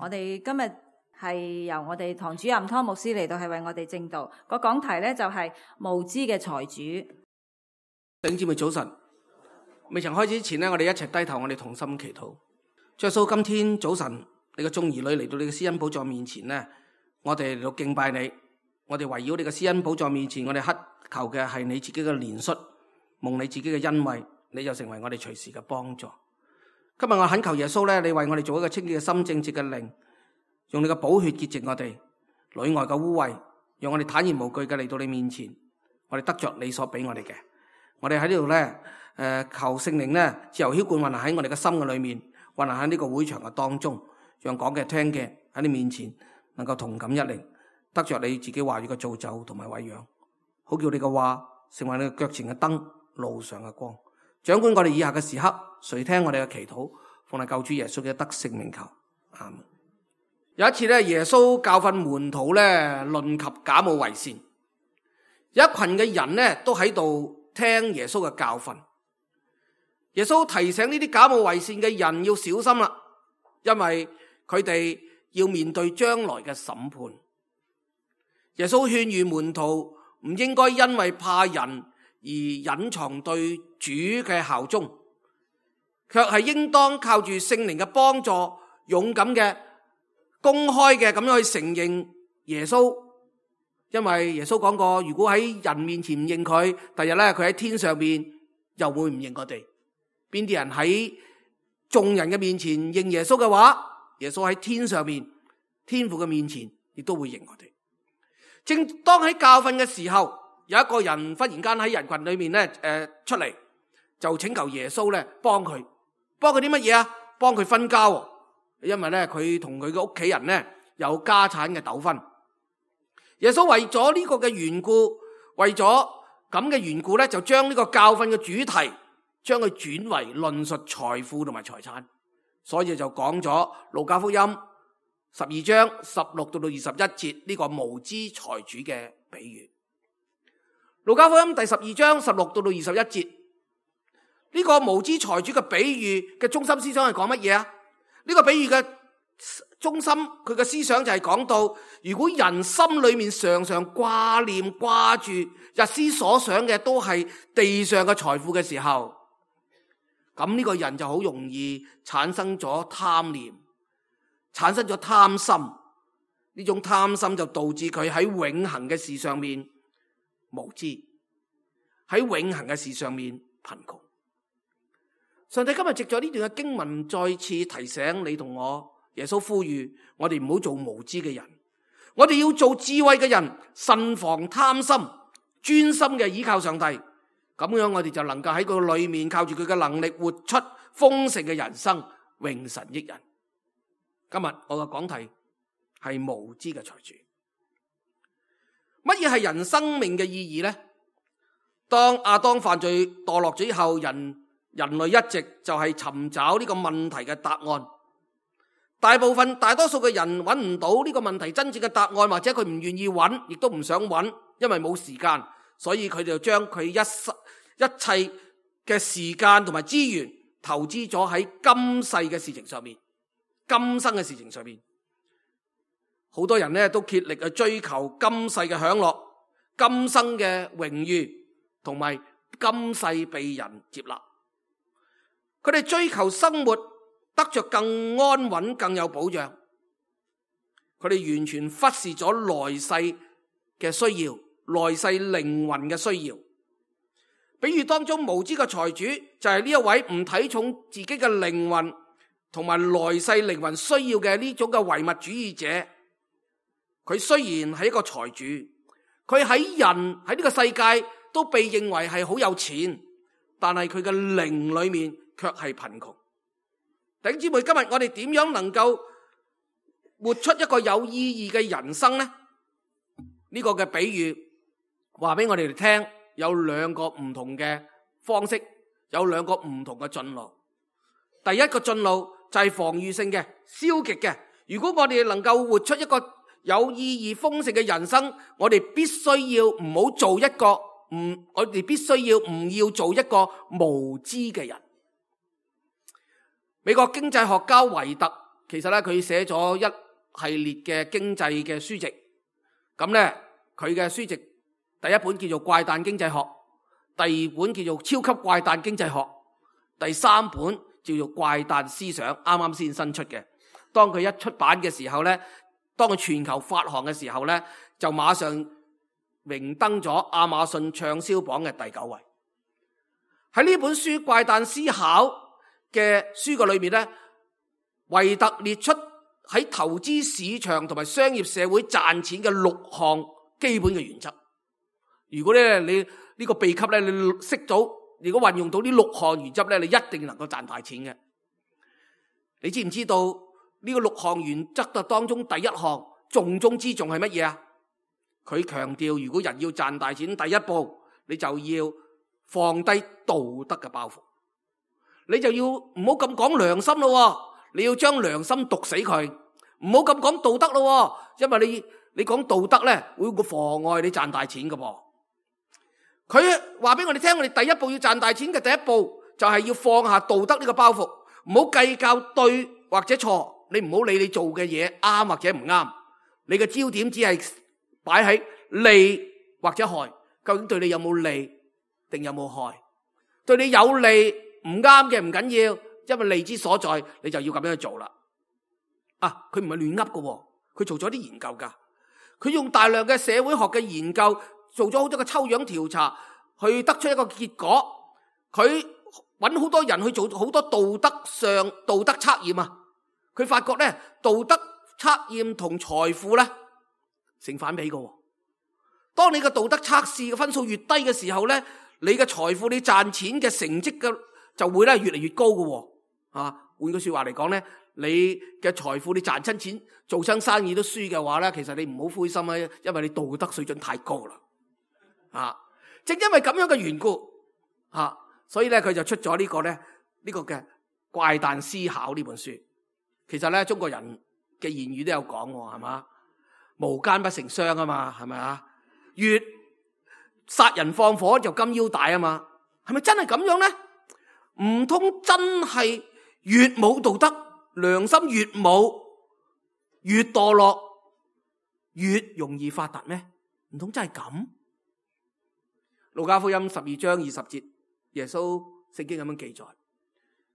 我哋今日係由我哋堂主任湯牧師嚟到係為我哋證道，個講題咧就係無知嘅財主。弟兄姊妹早晨，未曾開始之前呢，我哋一齊低頭，我哋同心祈禱。主耶穌，今天早晨你嘅眾兒女嚟到你嘅施恩寶座面前呢，我哋嚟到敬拜你，我哋圍繞你嘅施恩寶座面前，我哋乞求嘅係你自己嘅憐恤，蒙你自己嘅恩惠，你就成為我哋隨時嘅幫助。今日我懇求耶穌咧，你為我哋做一個清潔嘅心、正直嘅靈，用你嘅寶血潔淨我哋裏外嘅污穢，讓我哋坦然無懼嘅嚟到你面前，我哋得着你所俾我哋嘅。我哋喺呢度咧，求聖靈咧自由澆灌運行喺我哋嘅心嘅裏面，運行喺呢個會場嘅當中，讓講嘅聽嘅喺你面前能夠同感一靈，得着你自己話語嘅造就同埋餵養，好叫你嘅話成為你嘅腳前嘅燈，路上嘅光。掌管我哋以下嘅時刻，垂聽我哋嘅祈禱，奉係救主耶穌嘅得勝名求，阿們。有一次咧，耶穌教訓門徒咧，論及假冒為善，有一群嘅人咧都喺度聽耶穌嘅教訓。耶穌提醒呢啲假冒為善嘅人要小心啦，因為佢哋要面對將來嘅審判。耶穌勸喻門徒唔應該因為怕人而隱藏對主嘅效忠，卻係應當靠住聖靈嘅幫助，勇敢嘅、公開嘅咁樣去承認耶穌。因為耶穌講過，如果喺人面前唔認佢，第日咧佢喺天上面又會唔認我哋。邊啲人喺眾人嘅面前認耶穌嘅話，耶穌喺天上面天父嘅面前亦都會認我哋。正當喺教訓嘅時候，有一個人忽然間喺人群裏面咧，出嚟就請求耶穌咧幫佢啲乜嘢啊？幫佢分家，因為咧佢同佢嘅屋企人咧有家產嘅糾紛。耶穌為咗呢個嘅緣故，為咗咁嘅緣故咧，就將呢個教訓嘅主題，將佢轉為論述財富同埋財產，所以就講咗路加福音12章16到21節呢個無知財主嘅比喻。路加福音第12章16到21節，呢個無知財主嘅比喻嘅中心思想係講乜嘢啊？呢個比喻嘅中心佢嘅思想就係講到，如果人心裏面常常掛念掛住日思所想嘅都係地上嘅財富嘅時候，咁呢個人就好容易產生咗貪念，產生咗貪心。呢種貪心就導致佢喺永恆嘅事上面無知，喺永恆嘅事上面貧窮。上帝今日藉咗呢段嘅經文，再次提醒你同我，耶穌呼籲我哋唔好做無知嘅人，我哋要做智慧嘅人，慎防貪心，專心嘅依靠上帝。咁樣我哋就能夠喺佢裏面靠住佢嘅能力，活出豐盛嘅人生，榮神益人。今日我嘅講題係無知嘅財主。乜嘢係人生命嘅意義呢？當亞當犯罪墮落咗以後，人類一直就係尋找呢個問題嘅答案。大多數嘅人揾唔到呢個問題真正嘅答案，或者佢唔願意揾，亦都唔想揾，因為冇時間，所以佢就將佢一切嘅時間同埋資源投資咗喺今世嘅事情上面，今生嘅事情上面。好多人呢都竭力去追求今世嘅享樂、今生嘅榮譽，同埋今世被人接納。佢哋追求生活得着更安穩、更有保障，佢哋完全忽視咗來世嘅需要、來世靈魂嘅需要。比如當中無知嘅財主就係呢一位唔睇重自己嘅靈魂同埋來世靈魂需要嘅呢種嘅唯物主義者。佢雖然係一個財主，佢喺人喺呢個世界都被認為係好有錢，但係佢嘅靈裏面卻係貧窮。弟兄姊妹，今日我哋點樣能夠活出一個有意義嘅人生呢？呢個嘅比喻話俾我哋聽，有兩個唔同嘅方式，有兩個唔同嘅進路。第一個進路就係防禦性嘅、消極嘅。如果我哋能夠活出一個有意義豐盛嘅人生，我哋必須要唔好做一個我哋必須要唔要做一個無知嘅人。美國經濟學家維特其實咧佢寫咗一系列嘅經濟嘅書籍。咁咧佢嘅書籍第一本叫做《怪誕經濟學》，第二本叫做《超級怪誕經濟學》，第三本叫做《怪誕思想》，啱啱先新出嘅。當佢一出版嘅時候咧，當佢全球發行嘅時候咧，就馬上榮登咗亞馬遜暢銷榜嘅第9位。喺呢本書《怪誕思考》嘅書嘅裏面咧，維特列出喺投資市場同埋商業社會賺錢嘅6項基本嘅原則。如果咧你呢個秘笈咧你識到，如果運用到呢6項原則咧，你一定能夠賺大錢嘅。你知唔知道呢個6項原則嘅當中第一項重中之重係乜嘢啊？佢強調，如果人要賺大錢，第一步你就要放低道德嘅包袱，你就要唔好咁講良心咯，你要將良心毒死佢，唔好咁講道德咯，因為你講道德咧會妨礙你賺大錢嘅噃。佢話俾我哋聽，我哋第一步要賺大錢嘅第一步就係要放下道德呢個包袱，唔好計較對或者錯，你唔好理你做嘅嘢啱或者唔啱，你嘅焦點只係擺喺利或者害，究竟對你有冇利定有冇害？對你有利唔啱嘅唔緊要，因為利之所在，你就要咁樣去做啦。啊，佢唔係亂噏嘅，佢做咗啲研究噶，佢用大量嘅社會學嘅研究，做咗好多嘅抽樣調查，去得出一個結果。佢揾好多人去做好多道德測驗啊，佢發覺咧道德測驗同財富咧成反比嘅。當你嘅道德測試嘅分數越低嘅時候咧，你嘅財富、你賺錢嘅成績嘅就會咧越嚟越高嘅。換句說話嚟講咧，你嘅財富、你賺親錢、做親生意都輸嘅話咧，其實你唔好灰心啊，因為你道德水準太高啦。正因為咁樣嘅緣故，所以咧佢就出咗呢個嘅怪誕思考呢本書。其實咧中國人嘅言語都有講喎，係嘛？無奸不成雙啊嘛，係咪啊？越殺人放火就金腰帶啊嘛，係咪真係咁樣咧？唔通真係越冇道德、良心越冇、越墮落、越容易發達咩？唔通真係咁？路加福音12章20節，耶穌聖經咁樣記載，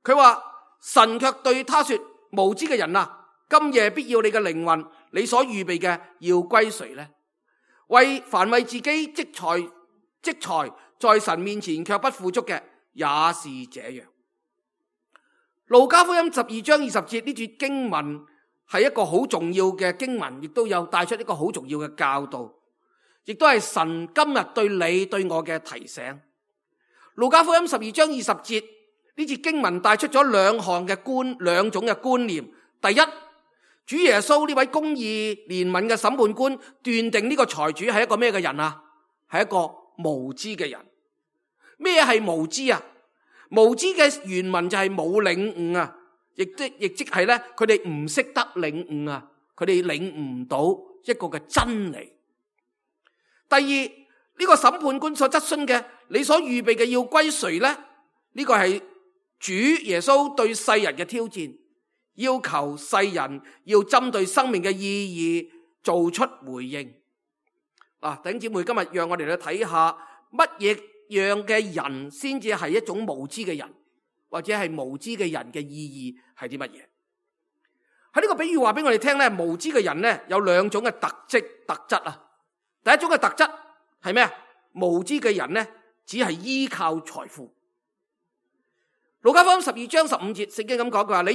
佢話神卻對他說：無知嘅人啊，今夜必要你嘅靈魂，你所預備嘅要歸誰呢？凡為自己積財在神面前卻不富足嘅，也是這樣。路加福音12章20節呢段經文係一個好重要嘅經文，亦都有帶出一個好重要嘅教導，亦都係神今日對你對我嘅提醒。路加福音12章20節呢節經文帶出咗兩種嘅觀念。第一，主耶穌呢位公義憐憫嘅審判官斷定呢個財主係一個咩嘅人啊？係一個無知嘅人。咩係無知啊？無知嘅原文就係冇領悟啊，亦即係咧，佢哋唔識得領悟啊，佢哋領悟唔到一個嘅真理。第二，呢個審判官所質詢嘅，你所預備嘅要歸誰呢？呢個係主耶穌對世人嘅挑戰，要求世人要針對生命嘅意義做出回應。弟兄姊妹，今日讓我哋去睇下乜嘢樣嘅人先至係一種無知嘅人，或者係無知嘅人嘅意義係啲乜嘢？喺呢個比喻話俾我哋聽咧，無知嘅人咧有兩種嘅特質啊。第一種嘅特質係咩啊？無知嘅人咧只係依靠財富。路加福音12章15節聖經咁講，佢話你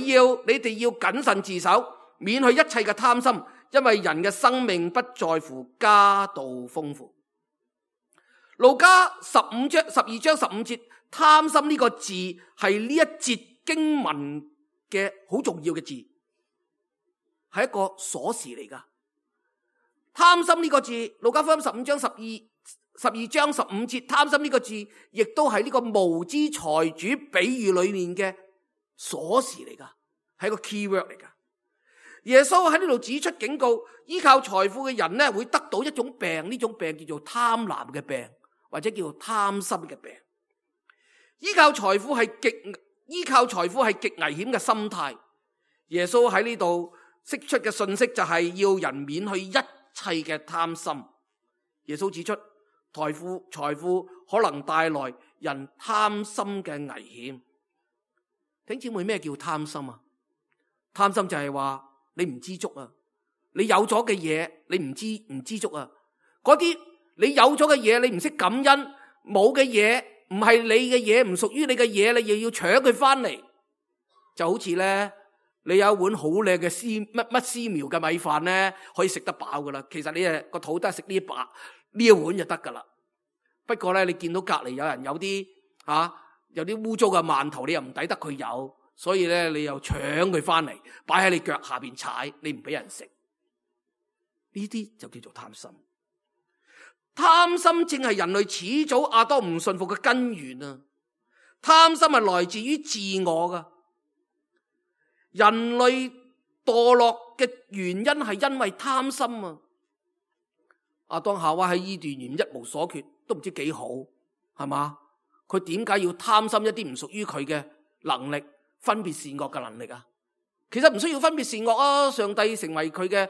哋要謹慎自守，免去一切嘅貪心，因為人嘅生命不在乎家道豐富。路加12章15節，貪心呢個字係呢一節經文嘅好重要嘅字，係一個鎖匙嚟噶。貪心呢個字，路加福音12章15節，貪心呢個字亦都係呢個無知財主比喻裏面嘅鎖匙嚟噶，係一個 keyword 嚟噶。耶穌喺呢度指出警告，依靠財富嘅人咧會得到一種病，呢種病叫做貪婪嘅病，或者叫做貪心嘅病。依靠財富係極危險嘅心態，耶穌喺呢度釋出嘅信息就係要人免去一切嘅貪心。耶穌指出，財富可能帶來人貪心嘅危險。弟兄姊妹，咩叫貪心啊？貪心就係話你唔知足啊，你有咗嘅嘢你唔知足啊，嗰啲你有咗嘅嘢你唔識感恩，冇嘅嘢唔係你嘅嘢，唔屬於你嘅嘢，你又要搶佢翻嚟。就好似咧，你有一碗好靚嘅絲苗嘅米飯咧，可以食得飽噶啦。其實你個肚都係食呢一碗就得噶啦。不過咧，你見到隔籬有人有啲污糟嘅饅頭，你又唔抵得佢有，所以咧你又搶佢翻嚟，擺喺你腳下邊踩，你唔俾人食。呢啲就叫做貪心。貪心正係人類始祖亞當唔信服嘅根源啊！貪心係來自於自我噶。人類墮落嘅原因係因為貪心啊！亞當夏娃喺伊甸園一無所缺，都唔知幾好，係嘛？佢點解要貪心一啲唔屬於佢嘅能力，分別善惡嘅能力啊？其實唔需要分別善惡啊！上帝成為佢嘅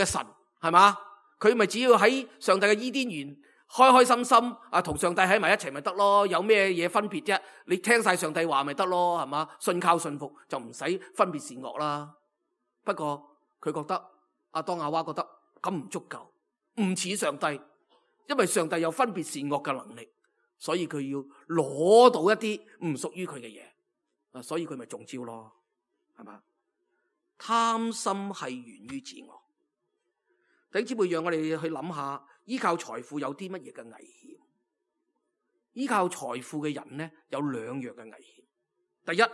神，係嘛？佢咪只要喺上帝嘅伊甸園開開心心同上帝喺埋一齊咪得咯？有咩嘢分別啫？你聽晒上帝話咪得咯，係嘛？信靠信服就唔使分別善惡啦。不過佢覺得亞當夏娃覺得咁唔足夠，唔似上帝，因為上帝有分別善惡嘅能力，所以佢要攞到一啲唔屬於佢嘅嘢，所以佢咪中招咯，係嘛？貪心係源於自我。弟兄姊妹，讓我哋去諗下，依靠財富有啲乜嘢嘅危險？依靠財富嘅人呢，有兩樣嘅危險。第一，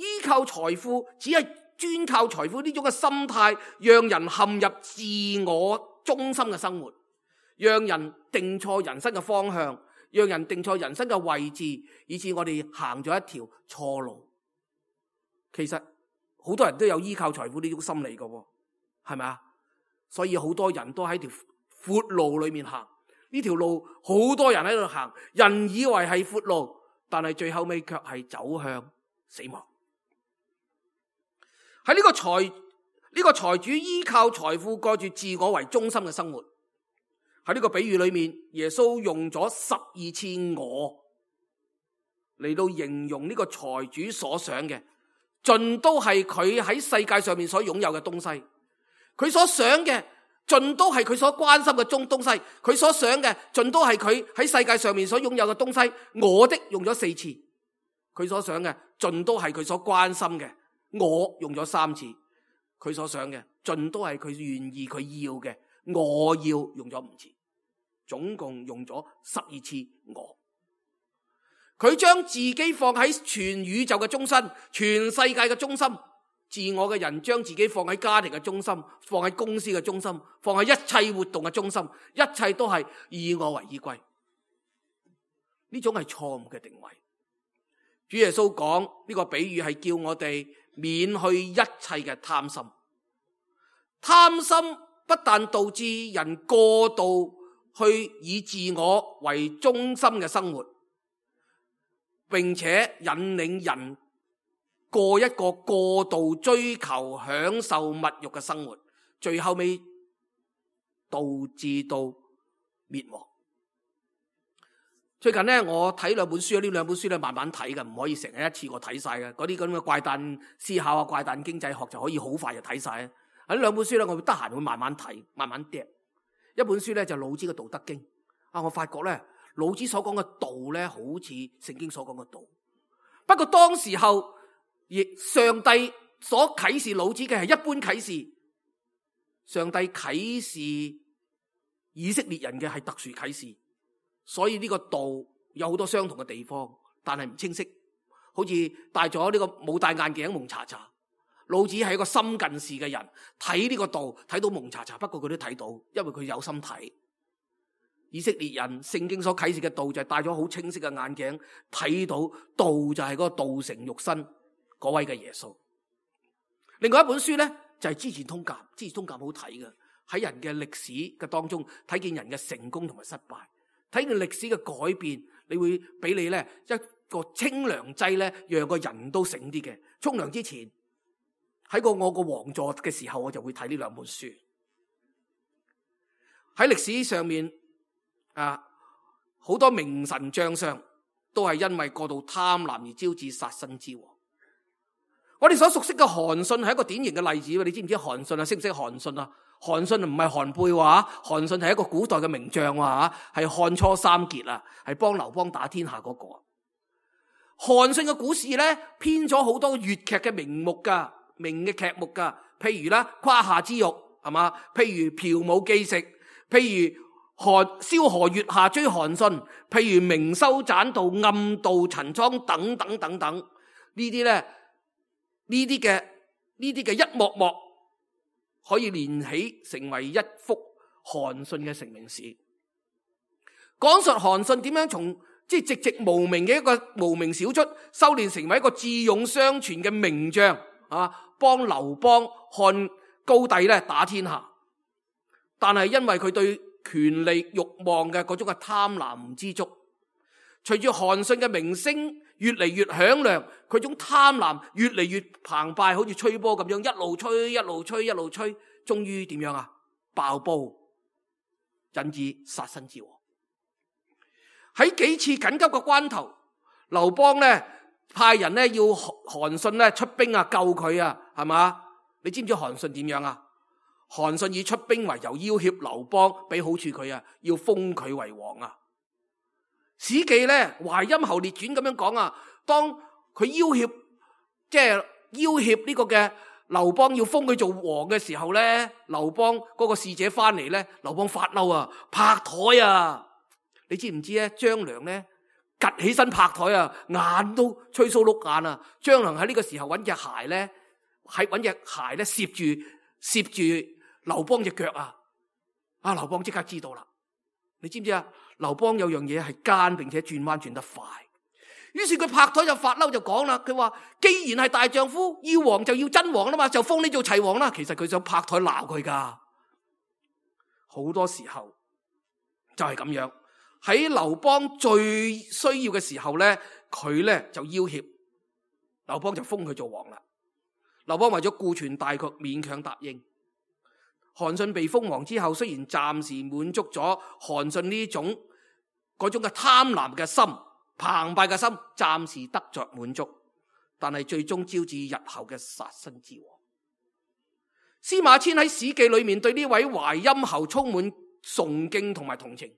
依靠財富只係專靠財富呢種嘅心態，讓人陷入自我中心嘅生活，讓人定錯人生嘅方向，讓人定錯人生嘅位置，以致我哋行咗一條錯路。其實好多人都有依靠財富呢種心理嘅，係咪啊？所以好多人都喺條闊路裏面行，呢條路好多人喺度行，人以為係闊路，但係最後尾卻係走向死亡。喺呢個財主依靠財富過住自我為中心嘅生活。喺呢個比喻裏面，耶穌用咗12次我嚟到形容呢個財主所想嘅，盡都係佢喺世界上面所擁有嘅東西。佢所想嘅盡都係佢所關心嘅東西，佢所想嘅盡都係佢喺世界上面所擁有嘅東西。我的用咗4次，佢所想嘅盡都係佢所關心嘅。我用咗3次，佢所想嘅盡都係佢願意佢要嘅。我要用咗5次，總共用咗12次我。佢將自己放喺全宇宙嘅中心，全世界嘅中心。自我嘅人將自己放喺家庭嘅中心，放喺公司嘅中心，放喺一切活動嘅中心，一切都係以我為依歸。呢種係錯誤嘅定位。主耶穌講呢個比喻係叫我哋免去一切嘅貪心。貪心不但導致人過度去以自我為中心嘅生活，並且引領人過一個過度追求享受物欲嘅生活，最後尾導致到滅亡。最近呢，我睇2本書，呢2本書咧慢慢睇嘅，唔可以成日一次過睇晒嘅。嗰啲咁嘅怪誕思考啊、怪誕經濟學就可以好快就睇晒。喺呢2本書咧，我會得閒會慢慢睇，慢慢嗒。一本書咧就老子嘅《道德經》我發覺咧老子所講嘅道咧，好似聖經所講嘅道。不過當時候，亦上帝所啟示老子嘅係一般啟示，上帝啟示以色列人嘅係特殊啟示，所以呢個道有好多相同嘅地方，但係唔清晰，好似戴咗呢個冇戴眼鏡蒙查查。老子係一個深近視嘅人，睇呢個道睇到蒙查查，不過佢都睇到，因為佢有心睇。以色列人聖經所啟示嘅道就係戴咗好清晰嘅眼鏡，睇到道就係嗰個道成肉身嗰位嘅耶穌。另外一本書呢，就係《資治通鑑》，《資治通鑑》好睇嘅，喺人嘅歷史嘅當中睇見人嘅成功同埋失敗，睇見歷史嘅改變，你會俾你呢一個清涼劑咧，讓個人都醒啲嘅。沖涼之前喺我個王座嘅時候，我就會睇呢兩本書。喺歷史上面好多名臣將相都係因為過度貪婪而招致殺身之禍。我哋所熟悉嘅韓信係一個典型嘅例子。你知唔知韓信啊？識唔識韓信啊？韓信唔係韓貝話，韓信係一個古代嘅名將話，係漢初三傑啊，係幫劉邦打天下嗰個。韓信嘅故事咧，編咗好多粵劇嘅名嘅劇目噶，譬如啦《胯下之辱》係嘛，譬如《嫖武記食》，譬如蕭何月下追韓信，譬如明修棧道、暗度陳倉等等等等，呢啲嘅一幕幕可以連起成為一幅韓信嘅成名史，講述韓信點樣從寂寂無名嘅一個無名小卒，修煉成為一個智勇雙全嘅名將幫劉邦、漢高帝咧打天下。但係因為佢對權力慾望嘅嗰種嘅貪婪之足，隨住韓信嘅名聲越嚟越響亮，佢種貪婪越嚟越澎湃，好似吹波咁樣，一路吹一路吹一路吹，終於點樣啊？爆煲，引致殺身之禍。喺幾次緊急嘅關頭，劉邦咧派人咧要韓信咧出兵啊救佢啊，係嘛？你知唔知韓信點樣啊？韓信以出兵為由要挾劉邦，俾好處佢啊，要封佢為王啊。史記咧《淮陰侯列傳》咁樣講啊，當佢要挾呢個嘅劉邦要封佢做王嘅時候咧，劉邦嗰個使者翻嚟咧，劉邦發嬲啊，拍台啊！你知唔知咧？張良咧趷起身拍台啊，眼都吹鬚碌眼啊！張良喺呢個時候揾隻鞋咧，攝住劉邦隻腳啊！劉邦即刻知道啦。你知唔知啊？劉邦有樣嘢係奸，並且轉彎轉得快。於是佢拍台就發嬲就講啦，佢話既然係大丈夫，要王就要真王啦嘛，就封你做齊王啦。其實佢想拍台鬧佢噶。好多時候就係咁樣，喺劉邦最需要嘅時候咧，佢咧就要挾劉邦，就封佢做王啦。劉邦為咗顧全大局，勉強答應。韓信被封王之後，雖然暫時滿足咗韓信呢種嗰種嘅貪婪嘅心、澎湃嘅心，暫時得着滿足，但係最終招致日後嘅殺身之禍。司馬遷喺《史記》裏面對呢位淮陰侯充滿崇敬同埋同情，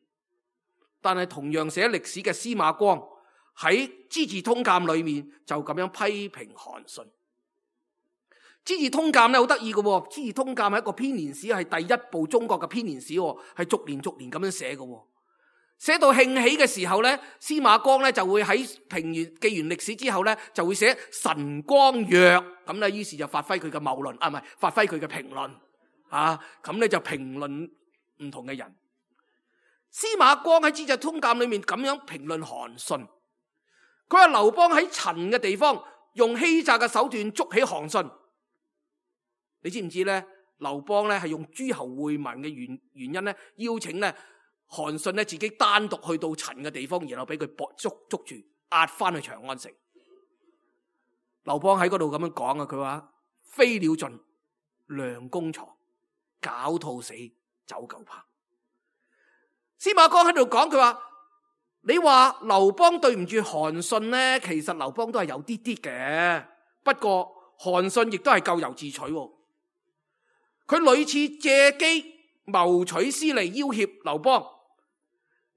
但係同樣寫歷史嘅司馬光喺《資治通鑑》裏面就咁樣批評韓信。《資治通鑑》咧好得意嘅，《資治通鑑》係一個編年史，係第一部中國嘅編年史，係逐年咁樣寫嘅。寫到興起嘅時候咧，司馬光咧就會喺記完歷史之後咧，就會寫神光曰咁咧，於是就發揮佢嘅謬論，唔係發揮佢嘅評論咁咧就評論唔同嘅人。司馬光喺《資治通鑑》裏面咁樣評論韓信，佢話劉邦喺陳嘅地方用欺詐嘅手段捉起韓信。你知唔知咧？劉邦咧係用諸侯會盟嘅原因咧，邀請咧韓信咧自己單獨去到陳嘅地方，然後俾佢捉住，押翻去長安城。劉邦喺嗰度咁樣講啊，佢話飛鳥盡，良弓藏，狡兔死，走狗烹。司馬光喺度講，佢話你話劉邦對唔住韓信咧，其實劉邦都係有啲啲嘅，不過韓信亦都係咎由自取。佢屢次借機謀取私利，要挾劉邦，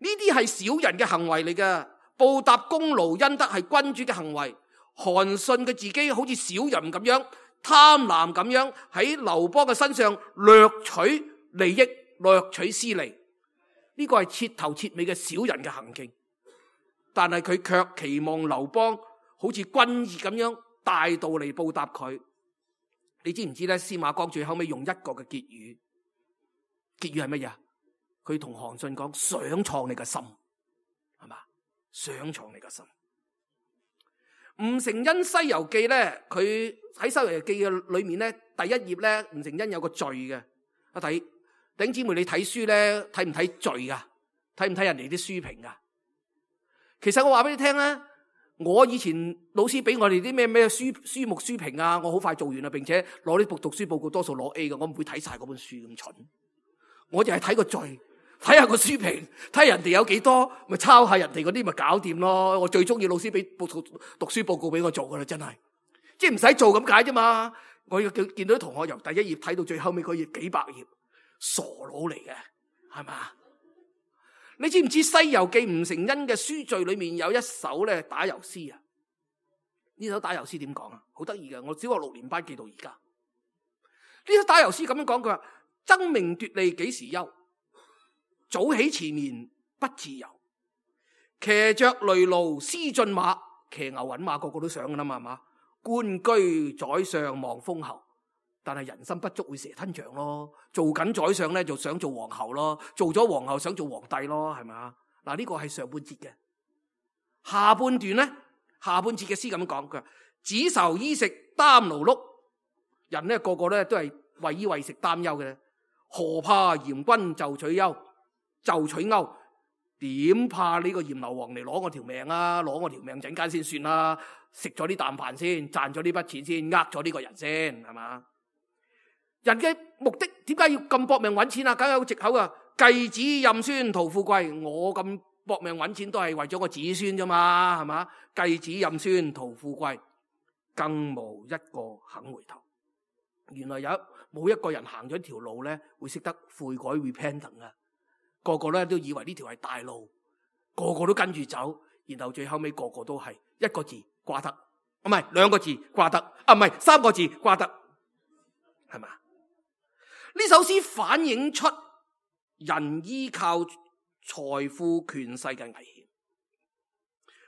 呢啲係小人嘅行為嚟嘅，報答功勞恩德係君主嘅行為。韓信佢自己好似小人咁樣貪婪咁樣喺劉邦嘅身上掠取利益、掠取私利，呢個係徹頭徹尾嘅小人嘅行徑。但係佢卻期望劉邦好似君義咁樣大度嚟報答佢。你知唔知咧？司馬光最後尾用一個嘅結語，結語係乜嘢？佢同韓信講：想創你嘅心，係嘛？想創你嘅心。吳承恩《西遊記》咧，佢喺《西遊記》嘅裏面咧，第一頁咧，吳承恩有個序嘅。弟兄姊妹，你睇書咧，睇唔睇序噶？睇唔睇人哋啲書評噶？其實我話俾你聽咧，我以前老師俾我哋啲咩書目書評啊，我好快做完啦，並且攞呢部讀書報告多數攞 A 嘅，我唔會睇晒嗰本書咁蠢，我就係睇個序，睇下個書評，睇人哋有幾多，咪抄下人哋嗰啲咪搞掂咯。我最中意老師俾讀書報告俾我做噶啦，真係，即係唔使做咁解啫嘛。我要見到啲同學由第一頁睇到最後尾嗰頁幾百頁，傻佬嚟嘅，係嘛？你知唔知《西遊記》吳承恩嘅書序裏面有一首咧打油詩啊？呢首打油詩點講啊？好得意嘅，我小學6年班記到而家。呢首打油詩咁樣講，佢話：爭名奪利幾時休？早起遲眠不自由。騎着累驢思駿馬，騎牛搵馬個個都想噶啦嘛，係嘛？官居宰相望封侯。但係人心不足會蛇吞象咯，做緊宰相咧就想做皇后咯，做咗皇后想做皇帝咯，係咪啊？嗱，呢個係上半節嘅。下半段咧，下半節嘅詩咁講，佢話：只愁衣食擔勞碌，人咧個個咧都係為衣為食擔憂嘅，何怕嚴君就取休？點怕呢個閻羅王嚟攞我條命啊？攞我條命陣間先算啦，食咗呢啖飯先，賺咗呢筆錢先，呃咗呢個人先，係嘛？人嘅目的點解要咁搏命揾錢啊？梗係有藉口啊！繼子任孫圖富貴，我咁搏命揾錢都係為咗個子孫啫嘛，係嘛？繼子任孫圖富貴，更無一個肯回頭。原來冇一個人行咗一條路咧，會識得悔改 repentance 啊！個個咧都以為呢條係大路，個個都跟住走，然後最後尾個個都係一個字掛得，唔係兩個字掛得，唔係三個字掛得，係嘛？呢首詩反映出人依靠財富權勢嘅危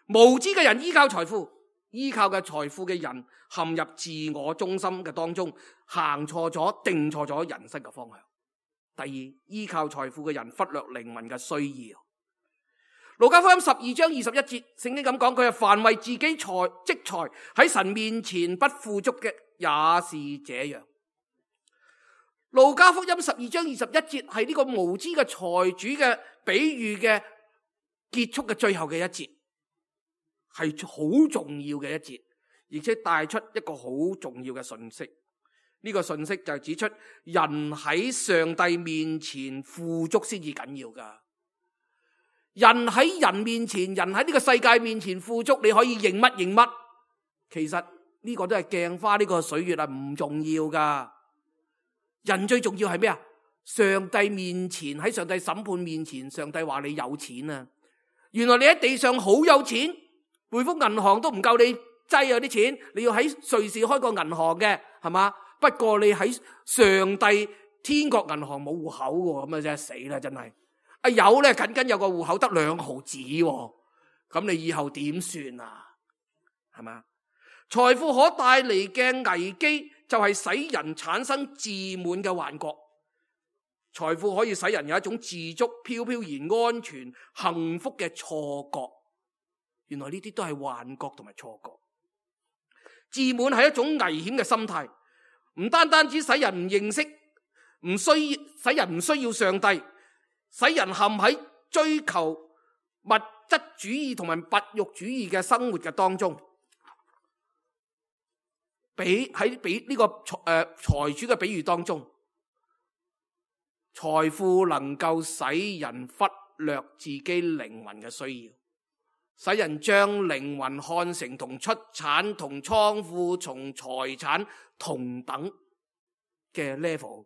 險。無知嘅人依靠財富，依靠嘅財富嘅人陷入自我中心嘅當中，行錯咗，定錯咗人生嘅方向。第二，依靠財富嘅人忽略靈魂嘅需要。路加福音12章21節，聖經咁講，佢係凡為自己積財喺神面前不富足嘅，也是這樣。路加福音12章21節係呢個無知嘅財主嘅比喻嘅結束嘅最後嘅一節，係好重要嘅一節，而且帶出一個好重要嘅信息。呢個信息就係指出人喺上帝面前富足先至緊要噶。人喺人面前，人喺呢個世界面前富足，你可以認乜認乜，其實呢個都係鏡花呢個水月啊，唔重要噶。人最重要係咩啊？上帝面前，喺上帝審判面前，上帝話你有錢啊！原來你喺地上好有錢，匯豐銀行都唔夠你擠啊啲錢，你要喺瑞士開個銀行嘅，係嘛？不過你喺上帝天國銀行冇戶口喎，咁啊真係死啦，真係。啊有咧，僅僅有個戶口得2毫子喎，咁你以後點算啊？係嘛？財富可帶嚟嘅危機就係使人產生自滿嘅幻覺。財富可以使人有一種自足、飄飄然、安全、幸福嘅錯覺。原來呢啲都係幻覺同埋錯覺。自滿係一種危險嘅心態，唔單單只使人唔認識，使人唔需要上帝，使人陷喺追求物質主義同埋物欲主義嘅生活嘅當中。喺呢個財主嘅比喻當中，財富能夠使人忽略自己靈魂嘅需要，使人將靈魂看成同出產、同倉庫、同財產同等嘅 level。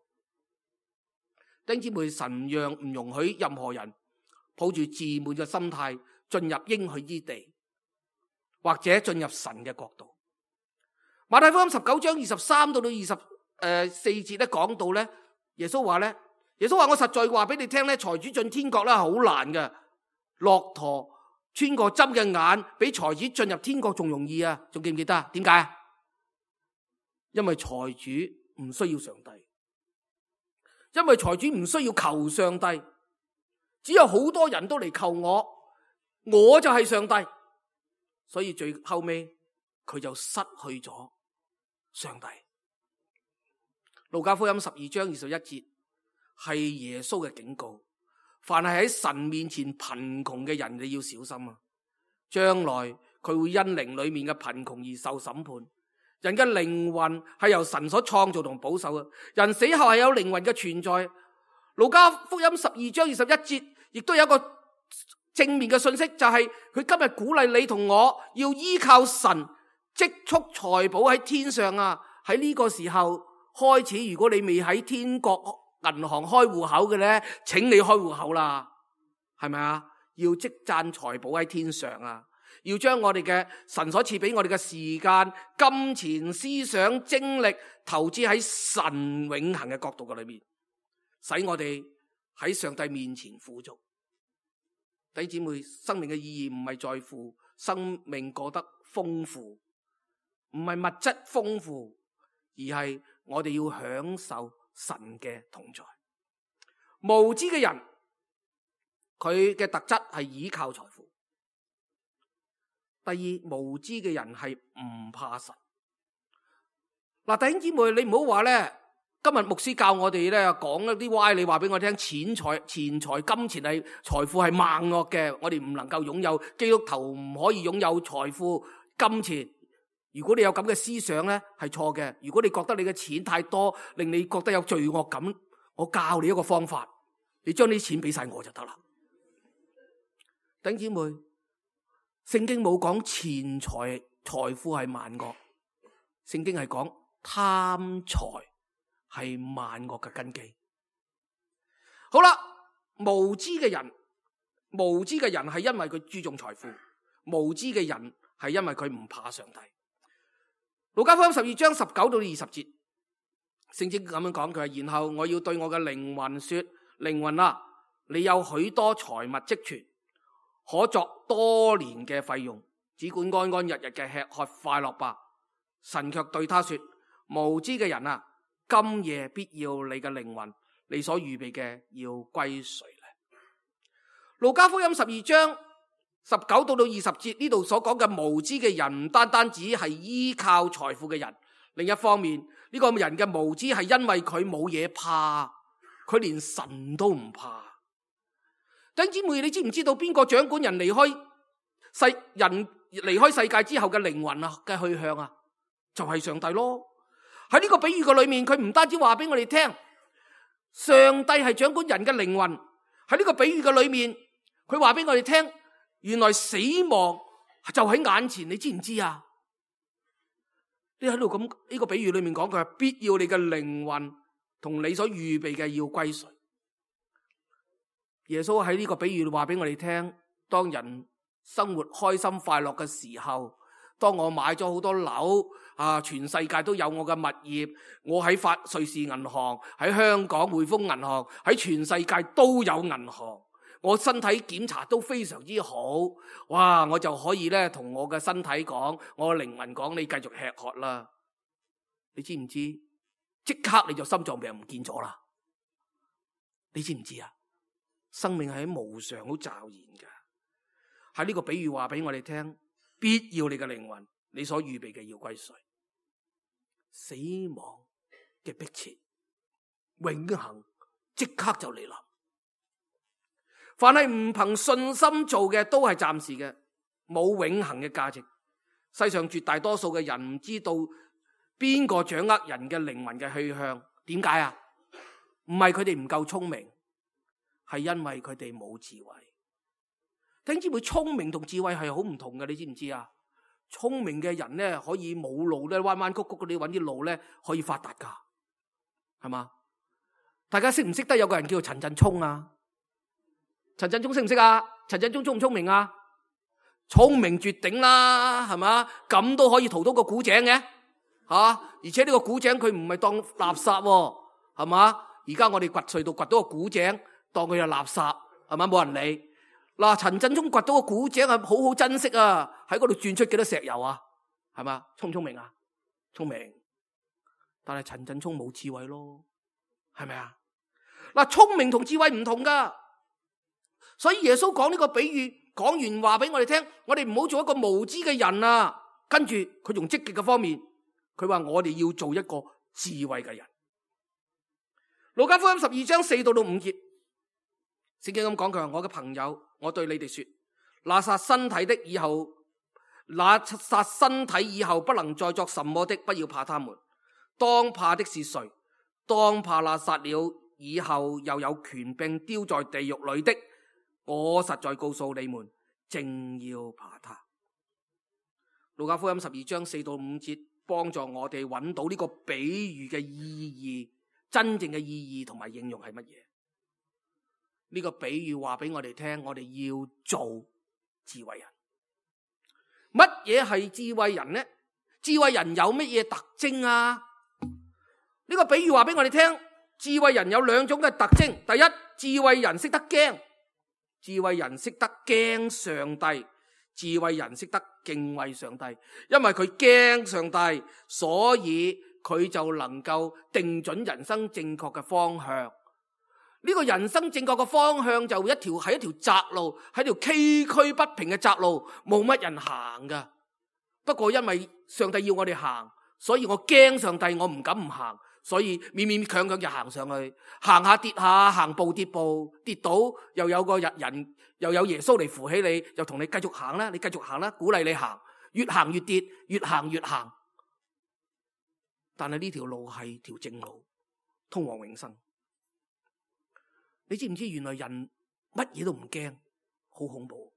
弟兄姊妹，神唔容許任何人抱住自滿嘅心態進入應許之地，或者進入神嘅國度。馬太福音19章23到24節咧講到咧，耶穌話我實在話俾你聽咧，財主進天國咧好難嘅，駱駝穿過針嘅眼，比財主進入天國仲容易啊！仲記唔記得啊？點解？因為財主唔需要上帝，因為財主唔需要求上帝，只有好多人都嚟求我就係上帝，所以最後尾佢就失去咗上帝。路加福音12章21節係耶穌嘅警告，凡係喺神面前貧窮嘅人，你要小心啊！將來佢會因靈裏面嘅貧窮而受審判。人嘅靈魂係由神所創造同保守嘅，人死後係有靈魂嘅存在。路加福音12章21節亦都有一個正面嘅信息，就係佢今日鼓勵你同我要依靠神積蓄財寶喺天上啊！喺呢個時候開始，如果你未喺天國銀行開戶口嘅呢，請你開戶口啦，係咪啊？要積攢財寶喺天上啊！要將我哋嘅神所賜俾我哋嘅時間、金錢、思想、精力投資喺神永恆嘅國度嘅裏面，使我哋喺上帝面前富足。弟兄姊妹，生命嘅意義唔係在乎生命過得豐富，唔係物質豐富，而係我哋要享受神嘅同在。無知嘅人，佢嘅特質係依靠財富。第二，無知嘅人係唔怕神。嗱，弟兄姊妹，你唔好話咧，今日牧師教我哋咧講一啲歪理話俾我聽，錢財、金錢係財富係萬惡嘅，我哋唔能夠擁有，基督徒唔可以擁有財富、金錢。如果你有咁嘅思想咧，係錯嘅。如果你覺得你嘅錢太多，令你覺得有罪惡感，我教你一個方法，你將啲錢俾晒我就得啦。弟兄姊妹，聖經冇講錢財財富係萬惡，聖經係講貪財係萬惡嘅根基。好啦，無知嘅人係因為佢注重財富，無知嘅人係因為佢唔怕上帝。路加福音12章19到20節，聖經咁樣講，佢話：然後我要對我嘅靈魂說，靈魂啊，你有許多財物積存，可作多年嘅費用，只管安安日日嘅吃喝快樂吧。神卻對他說：無知嘅人啊，今夜必要你嘅靈魂，你所預備嘅要歸誰呢？路加福音12章19到20節呢度所講嘅無知嘅人，唔單單只係依靠財富嘅人，另一方面呢個人嘅無知係因為佢冇嘢怕，佢連神都唔怕。弟兄姊妹，你知唔知道邊個掌管人離開世界之後嘅靈魂啊嘅去向啊？就係上帝咯。喺呢個比喻嘅裏面，佢唔單止話俾我哋聽，上帝係掌管人嘅靈魂。喺呢個比喻嘅裏面，佢話俾我哋聽，原來死亡就喺眼前，你知唔知啊？你喺度咁呢個比喻裏面講，佢係必要你嘅靈魂同你所預備嘅要歸誰？耶穌喺呢個比喻話俾我哋聽，當人生活開心快樂嘅時候，當我買咗好多樓啊，全世界都有我嘅物業，我喺瑞士銀行，喺香港匯豐銀行，喺全世界都有銀行，我身體檢查都非常之好，哇！我就可以咧同我嘅身體講，我嘅靈魂講，你繼續吃喝啦。你知唔知？即刻你就心臟病唔見咗啦。你知唔知啊？生命係喺無常好驟然嘅。喺呢個比喻話俾我哋聽，必要你嘅靈魂，你所預備嘅要歸誰？死亡嘅迫切，永恆即刻就嚟臨。凡係唔憑信心做嘅，都係暫時嘅，冇永恆嘅價值。世上絕大多數嘅人唔知道邊個掌握人嘅靈魂嘅去向。點解啊？唔係佢哋唔夠聰明，係因為佢哋冇智慧。弟兄姊妹，聰明同智慧係好唔同嘅，你知唔知啊？聰明嘅人咧，可以冇路咧，彎彎曲曲嗰啲揾啲路咧，可以發達噶，係嘛？大家識唔識得有個人叫做陳振聰啊？陳振聰識唔識啊？陳振聰聰唔聰明啊？聰明絕頂啦，係嘛？咁都可以淘到個古井嘅，吓！而且呢個古井佢唔係當垃圾喎，係嘛？而家我哋掘隧道掘到個古井，當佢係垃圾，係嘛？冇人理。嗱，陳振聰掘到個古井係好好珍惜啊！喺嗰度鑽出幾多石油啊？係嘛？聰唔聰明啊？聰明，但係陳振聰冇智慧咯，係咪啊？嗱，聰明同智慧唔同噶，所以耶穌講呢個比喻，講完話俾我哋聽，我哋唔好做一個無知嘅人啊！跟住佢用積極嘅方面，佢話我哋要做一個智慧嘅人。路加福音12章4到5節，聖經咁講，佢話我嘅朋友，我對你哋說，拿撒身體的以後那殺身體以後不能再作什麼的，不要怕他們。當怕的是誰？當怕那殺了以後又有權柄丟在地獄裏的。我實在告訴你們，正要怕他。路加福音12章4到5節，幫助我哋揾到呢個比喻嘅意義，真正嘅意義同埋應用係乜嘢？呢個比喻話俾我哋聽，我哋要做智慧人。乜嘢係智慧人呢？智慧人有乜嘢特徵啊？呢個比喻話俾我哋聽，智慧人有兩種嘅特徵。第一，智慧人識得驚，智慧人識得驚上帝，智慧人識得敬畏上帝。因為佢驚上帝，所以佢就能夠定準人生正確嘅方向。呢個人生正確嘅方向就係一條窄路，係條崎嶇不平嘅窄路，冇乜人行噶。不過因為上帝要我哋行，所以我驚上帝，我唔敢唔行，所以勉勉強強就行上去，行下跌下，行步跌步，跌倒又有個人又有耶穌嚟扶起你，又同你繼續行啦，你繼續行啦，鼓勵你行，越行越跌，越行越行。但係呢條路係條正路，通往永生。你知唔知原來人乜嘢都唔驚，好恐怖。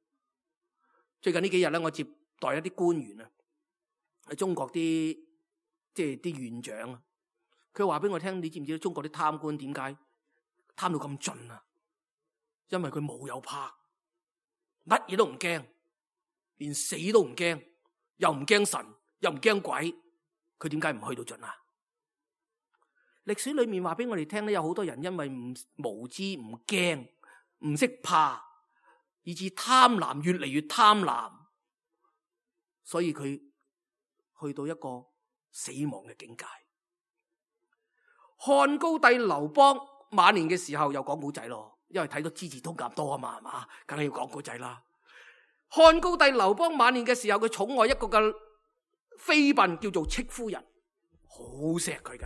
最近呢幾日咧，我接待一啲官員啊，喺中國啲啲院長啊，佢話俾我聽，你知唔知中國啲貪官點解貪到咁盡啊？因為佢冇有怕，乜嘢都唔驚，連死都唔驚，又唔驚神，又唔驚鬼，佢點解唔去到盡啊？歷史裏面話俾我哋聽咧，有好多人因為無知、唔驚、唔識怕，以致貪婪越嚟越貪婪，所以佢去到一個死亡嘅境界。漢高帝劉邦晚年嘅時候又講古仔咯，因為睇到《資治通鑑》多啊嘛，係嘛，梗係要講古仔啦。漢高帝劉邦晚年嘅時候，佢寵愛一個嘅妃嬪叫做戚夫人，好錫佢噶。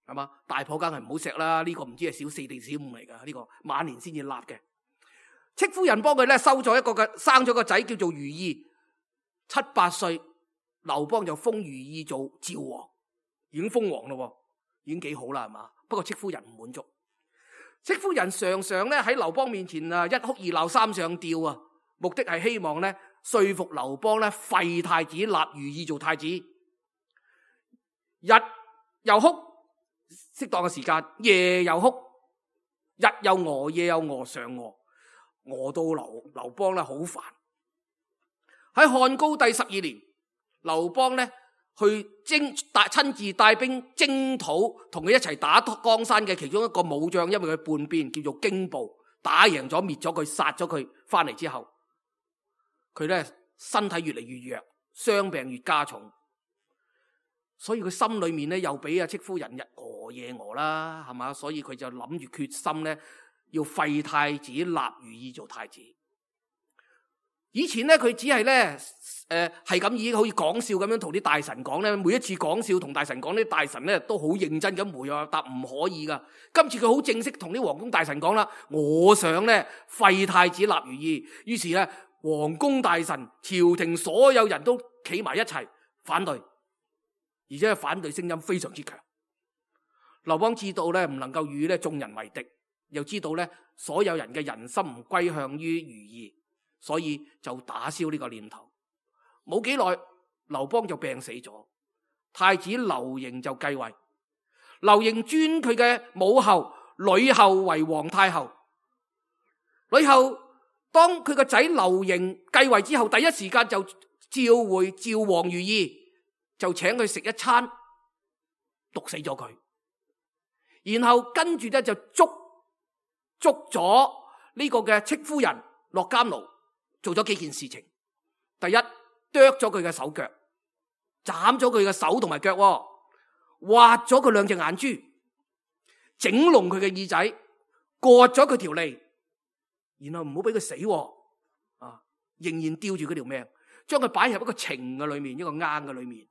係嘛？大婆梗係唔好錫啦，呢個唔知係小4定小5嚟噶，呢個晚年先至立嘅。戚夫人幫佢咧生咗個仔叫做如意，7、8歲，劉邦就封如意做趙王，已經封王咯，已經幾好啦，係嘛？不過戚夫人唔滿足，戚夫人常常咧喺劉邦面前啊，一哭二鬧三上吊啊，目的係希望咧說服劉邦咧廢太子，立如意做太子。日又哭。適當嘅時間，夜又哭，日又餓，夜又餓，上餓到劉邦咧好煩。喺漢高帝12年，劉邦咧去親自帶兵征討，同佢一齊打江山嘅其中一個武將，因為佢叛變，叫做荊部，打贏咗，滅咗佢，殺咗佢，翻嚟之後，佢咧身體越嚟越弱，傷病越加重。所以佢心裏面咧又俾戚夫人日餓夜餓啦，係嘛？所以佢就諗住決心咧要廢太子，立如意做太子。以前咧佢只係咧係咁已經好似講笑咁樣同啲大臣講咧，每一次講笑同大臣講，啲大臣咧都好認真咁回答唔可以噶。今次佢好正式同啲皇宮大臣講啦，我想咧廢太子立如意。於是咧皇宮大臣、朝廷所有人都企埋一齊反對。而且反對聲音非常之強。劉邦知道咧唔能夠與咧眾人為敵，又知道咧所有人嘅人心唔歸向於如意，所以就打消呢個念頭。冇幾耐，劉邦就病死咗，太子劉盈就繼位。劉盈尊佢嘅母后呂后為皇太后。呂后當佢個仔劉盈繼位之後，第一時間就召王如意。就請佢食一餐，毒死咗佢，然後跟住咧就捉咗呢個嘅戚夫人落監牢，做咗幾件事情。第一，剁咗佢嘅手腳，斬咗佢嘅手同埋腳，挖咗佢2隻眼珠，整聾佢嘅耳仔，割咗佢條脷，然後唔好俾佢死，仍然吊住佢條命，將佢擺入一個埕嘅裏面，一個罌嘅裏面。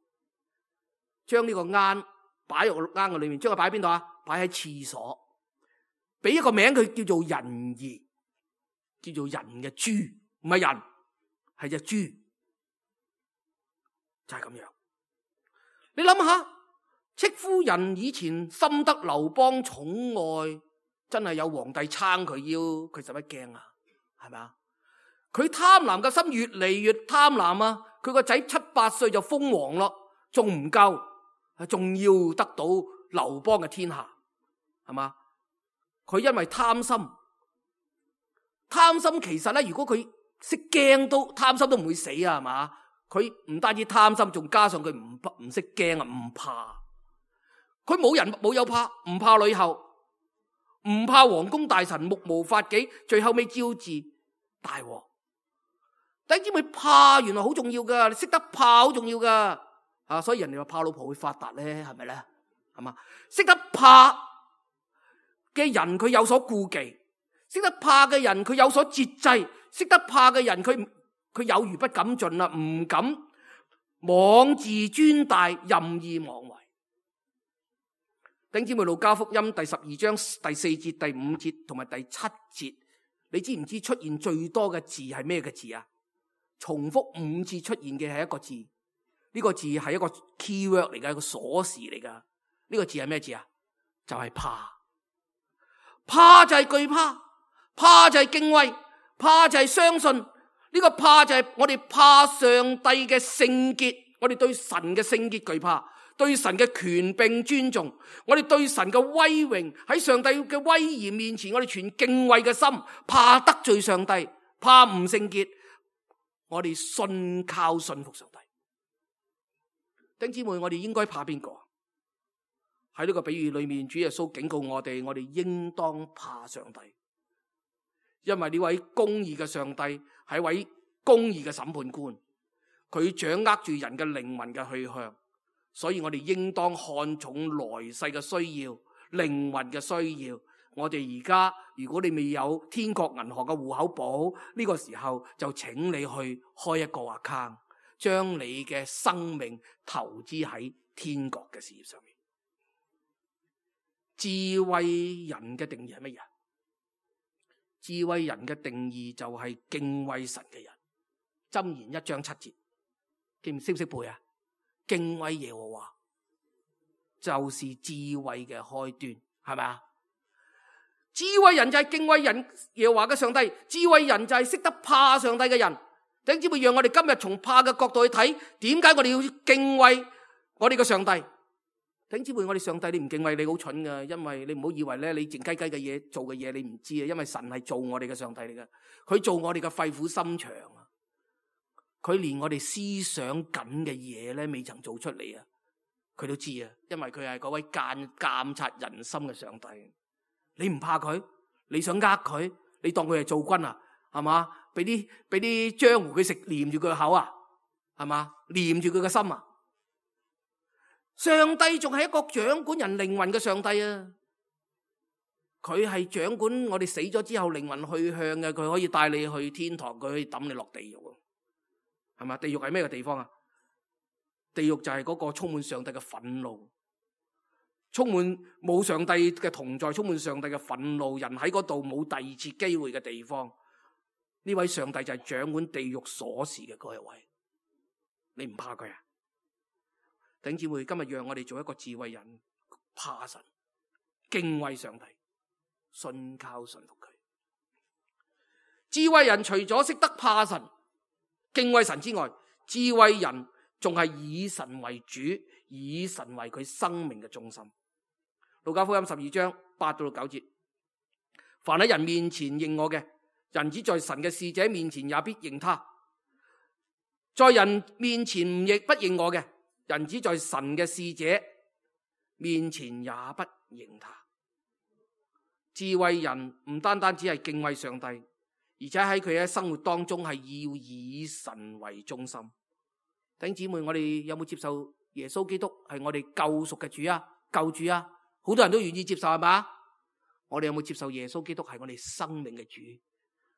將呢個罌擺入罌嘅裏面，將佢擺喺邊度啊？擺喺廁所，俾一個名佢叫做人兒，叫做人嘅豬，唔係人，係隻豬。就係咁樣。你諗下，戚夫人以前深得劉邦寵愛，真係有皇帝撐佢腰，佢使乜驚啊？係咪啊？佢貪婪嘅心越嚟越貪婪啊！佢個仔7、8歲就封王咯，仲唔夠，仲要得到劉邦嘅天下，係嘛？佢因為貪心其實咧，如果佢識驚都貪心都唔會死啊，係嘛？佢唔單止貪心，仲加上佢唔識驚啊，唔怕。佢冇人冇有怕，唔怕呂后，唔怕皇宮大臣，目無法紀，最後尾招致大禍。弟兄姊妹，怕原來好重要噶，你識得怕好重要噶啊！所以人哋話怕老婆會發達咧，係咪咧？係嘛？識得怕嘅人佢有所顧忌，識得怕嘅人佢有所節制，識得怕嘅人佢有餘不敢盡啦，唔敢妄自尊大，任意妄為。弟兄姊妹，路加福音第12章第4節、第5節同埋第7節，你知唔知出現最多嘅字係咩嘅字啊？重複5次出現嘅係一個字，呢個字係一個 keyword 嚟嘅，一個鎖匙嚟噶。呢個字係咩字啊？就係怕。怕就係懼怕，怕就係敬畏，怕就係相信。呢個怕就係我哋怕上帝嘅聖潔，我哋對神嘅聖潔懼怕，對神嘅權柄尊重，我哋對神嘅威榮，喺上帝嘅威嚴面前，我哋存敬畏嘅心，怕得罪上帝，怕唔聖潔，我哋信靠信服上帝。弟兄姊妹，我哋應該怕邊個？喺呢個比喻裏面，主耶穌警告我哋應當怕上帝，因為呢位公義嘅上帝係一位公義嘅審判官，佢掌握住人嘅靈魂嘅去向，所以我哋應當看重來世嘅需要、靈魂嘅需要。我哋而家如果你未有天國銀行嘅戶口簿，呢個時候就請你去開一個 account， 將你嘅生命投資喺天國嘅事業上面。智慧人嘅定義係乜嘢？智慧人嘅定義就係敬畏神嘅人。箴言1章7節，識唔識背啊？敬畏耶和華就是智慧嘅開端，係咪啊？智慧人就係敬畏人耶和華嘅上帝，智慧人就係識得怕上帝嘅人。弟兄姊妹，讓我哋今日從怕嘅角度去睇，點解我哋要敬畏我哋嘅上帝？弟兄姊妹，我哋上帝你唔敬畏你好蠢噶，因為你唔好以為咧你靜雞雞嘅嘢做嘅嘢你唔知啊，因為神係做我哋嘅上帝嚟噶，佢做我哋嘅肺腑心腸啊，佢連我哋思想緊嘅嘢咧未曾做出嚟啊，佢都知啊，因為佢係嗰位監察人心嘅上帝。你唔怕佢，你想呃佢，你當佢係做軍啊，係嘛？俾啲漿糊佢食，黏住佢個口啊，係嘛？黏住佢個心啊。上帝仲係一個掌管人靈魂嘅上帝啊！佢係掌管我哋死咗之後靈魂去向嘅，佢可以帶你去天堂，佢可以抌你落地獄，係嘛？地獄係咩嘅地方啊？地獄就係嗰個充滿上帝嘅憤怒，充滿冇上帝嘅同在，充滿上帝嘅憤怒，人喺嗰度冇第二次機會嘅地方。呢位上帝就係掌管地獄鎖匙嘅嗰一位，你唔怕佢啊？弟兄姊妹，今日讓我哋做一個智慧人，怕神，敬畏上帝，信靠信服佢。智慧人除咗識得怕神、敬畏神之外，智慧人仲係以神為主，以神為佢生命嘅中心。路加福音12章8到9節，凡喺人面前認我嘅，人子在神嘅使者面前也必認他；在人面前亦不認我嘅，人子在神嘅使者面前也不認他。智慧人唔單單只係敬畏上帝，而且喺佢嘅生活當中係要以神為中心。弟兄姊妹，我哋有冇接受耶穌基督係我哋救贖嘅主啊、救主啊？好多人都願意接受，係嘛？我哋有冇接受耶穌基督係我哋生命嘅主？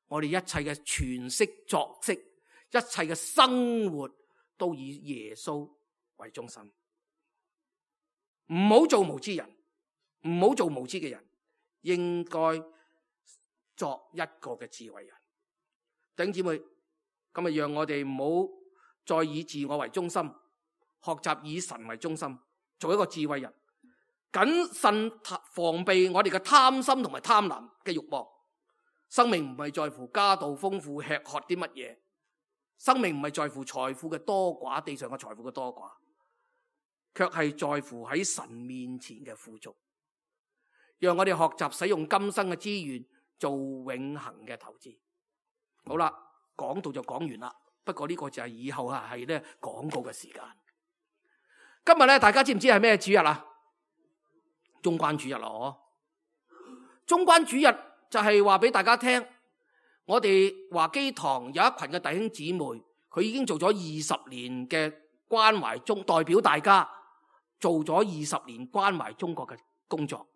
我哋一切嘅詮釋作息，一切嘅生活都以耶穌為中心。唔好做無知人，唔好做無知嘅人，應該作一個嘅智慧人。弟兄姊妹，今日讓我哋唔好再以自我為中心，學習以神為中心，做一個智慧人，謹慎防備我哋嘅貪心同埋貪婪嘅慾望。生命唔係在乎家道豐富，吃喝啲乜嘢，生命唔係在乎財富嘅多寡，地上嘅財富嘅多寡，卻係在乎喺神面前嘅富足。讓我哋學習使用今生嘅資源做永恆嘅投資。好啦，講到就講完啦。不過呢個就係以後係咧廣告嘅時間。今日咧，大家知唔知係咩主日啊？中關主日咯，中關主日就係話俾大家聽，我哋華基堂有一群嘅弟兄姊妹，佢已經做咗20年嘅關懷中，代表大家做咗20年關懷中國嘅工作。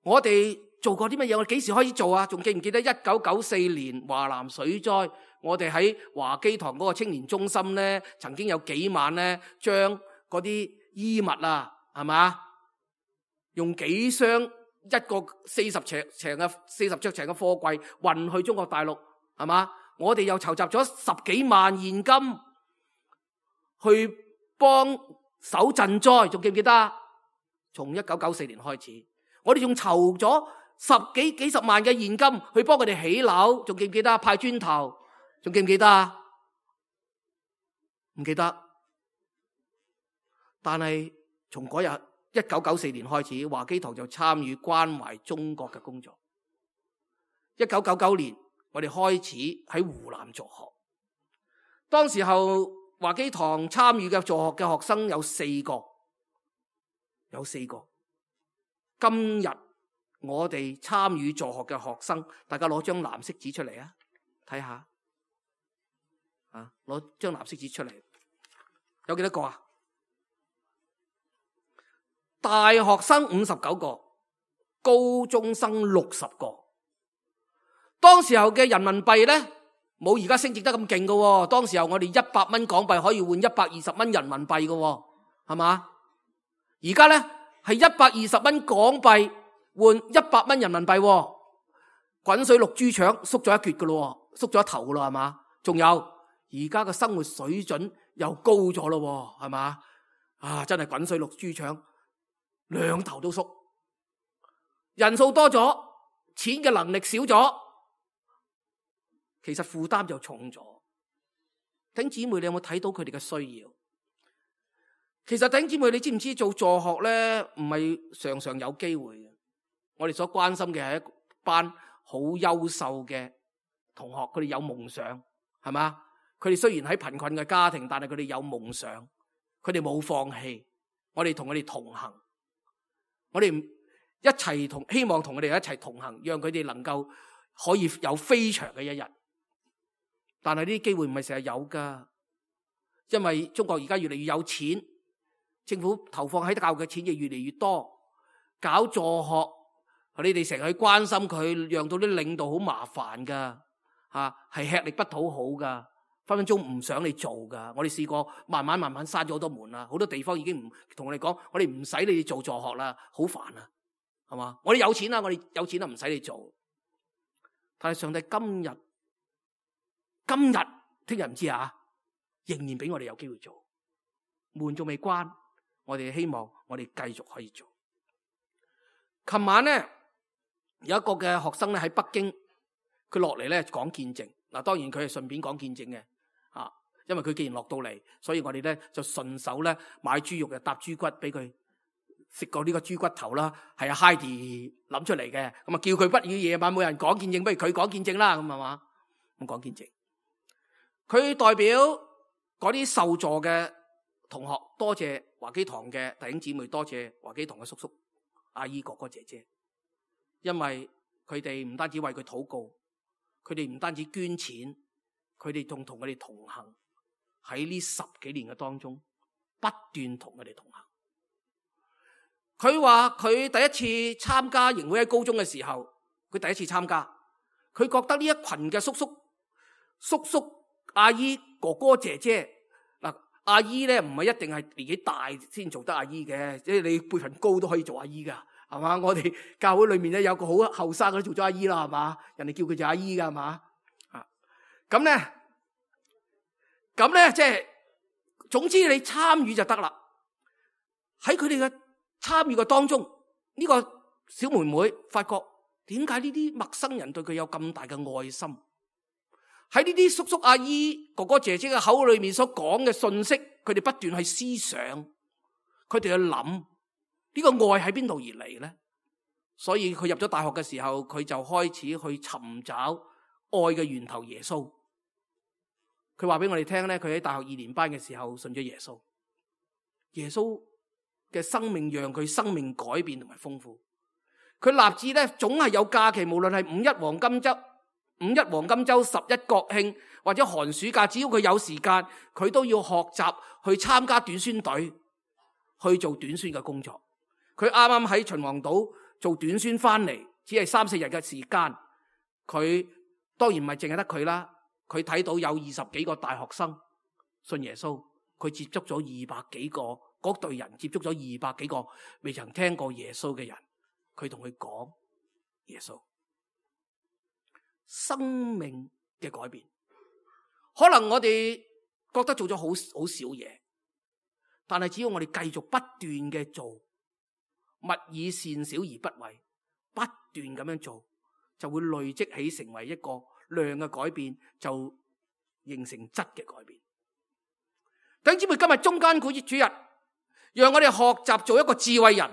我哋做過啲乜嘢？我哋幾時開始做啊？仲記唔記得1994年華南水災，我哋喺華基堂嗰個青年中心咧，曾經有幾晚咧，將嗰啲衣物啊，係嘛，用幾箱一個40尺長嘅貨櫃運去中國大陸，係嘛？我哋又籌集咗10幾萬現金去幫手賑災，仲記唔記得啊？從1994年開始，我哋仲籌咗幾十萬嘅現金去幫佢哋起樓，仲記唔記得？派磚頭，仲記唔記得啊？唔記得。但係從嗰日1994年開始，華基堂就參與關懷中國嘅工作。1999年，我哋開始喺湖南助學。當時候華基堂參與嘅助學嘅學生有4個。今日我哋參與助學嘅學生，大家攞張藍色紙出嚟啊，睇下啊，攞張藍色紙出嚟，有幾多個啊？大學生59個，高中生60個。當時候嘅人民幣咧，冇而家升值得咁勁噶。當時候我哋100蚊港幣可以換120蚊人民幣噶，係嘛？而家咧係120蚊港幣換100蚊人民幣，滾水淥豬腸，縮咗一橛噶咯，縮咗一頭噶咯，係嘛？仲有而家嘅生活水準又高咗咯，係嘛？啊，真係滾水淥豬腸，兩頭都縮。人數多咗，錢嘅能力少咗，其實負擔就重咗。弟兄姊妹，你有冇睇到佢哋嘅需要？其實弟兄姊妹，你知唔知做助學咧，唔係常常有機會嘅。我哋所關心嘅係一班好優秀嘅同學，佢哋有夢想，係嘛？佢哋雖然喺貧困嘅家庭，但係佢哋有夢想，佢哋冇放棄。我哋同佢哋同行，我哋一齊希望同佢哋一齊同行，讓佢哋能夠可以有飛翔嘅一日。但係呢啲機會唔係成日有噶，因為中國而家越嚟越有錢，政府投放喺教育嘅錢亦越嚟越多，搞助學，你哋成日去關心佢，讓到啲領導好麻煩噶，係吃力不討好噶，分分鐘唔想你做噶。我哋試過慢慢閂咗好多門啦，好多地方已經唔同我哋講，我哋唔使你哋做助學啦，好煩啊，係嘛？我哋有錢啦，唔使你做。但係上帝今日聽日唔知啊，仍然俾我哋有機會做，門仲未關，我哋希望我哋繼續可以做。琴晚咧有一個嘅學生咧喺北京，佢落嚟咧講見證。嗱，當然佢係順便講見證嘅，因為佢既然落到嚟，所以我哋咧就順手咧買豬肉，就搭豬骨俾佢食過呢個豬骨頭啦。係阿 Heidi 諗出嚟嘅，咁啊叫佢不如夜晚冇人講見證，不如佢講見證啦，咁係嘛？咁講見證，佢代表嗰啲受助嘅同學，多謝華基堂嘅弟兄姊妹，多謝華基堂嘅叔叔阿姨、哥哥姐姐，因為佢哋唔單止為佢禱告，佢哋唔單止捐錢，佢哋仲同佢哋同行，喺呢10幾年嘅當中不斷同佢哋同行。佢話佢第一次參加營會喺高中嘅時候，佢第一次參加，佢覺得呢一群嘅叔叔阿姨、哥哥姐姐，嗱，阿姨咧唔係一定係年紀大先做得阿姨嘅，即係你輩份高都可以做阿姨噶，係嘛？我哋教會裏面咧有個好後生嘅都做咗阿姨啦，係嘛？人哋叫佢做阿姨噶，係嘛？咁咧即係總之你參與就得啦。喺佢哋嘅參與嘅當中，呢個小妹妹發覺點解呢啲陌生人對佢有咁大嘅愛心？喺呢啲叔叔阿姨、哥哥姐姐嘅口裏面所講嘅信息，佢哋不斷去思想，佢哋去諗呢個愛喺邊度而嚟呢？所以佢入咗大學嘅時候，佢就開始去尋找愛嘅源頭耶穌。佢話俾我哋聽咧，佢喺大學2年班嘅時候信咗耶穌。耶穌嘅生命讓佢生命改變同埋豐富。佢立志咧，總係有假期，無論係五一黃金周、11國慶或者寒暑假，只要佢有時間，佢都要學習去參加短宣隊，去做短宣嘅工作。佢啱啱喺秦皇島做短宣翻嚟，只係3-4日嘅時間。佢當然唔係淨係得佢啦，佢睇到有20幾個大學生信耶穌，佢接觸咗200幾個，嗰隊人接觸咗200幾個未曾聽過耶穌嘅人，佢同佢講耶穌。生命嘅改變，可能我哋覺得做咗好少嘢，但係只要我哋繼續不斷嘅做，勿以善小而不為，不斷咁樣做，就會累積起成為一個量嘅改變，就形成質嘅改變。弟兄姊妹，今日中間主日，讓我哋學習做一個智慧人，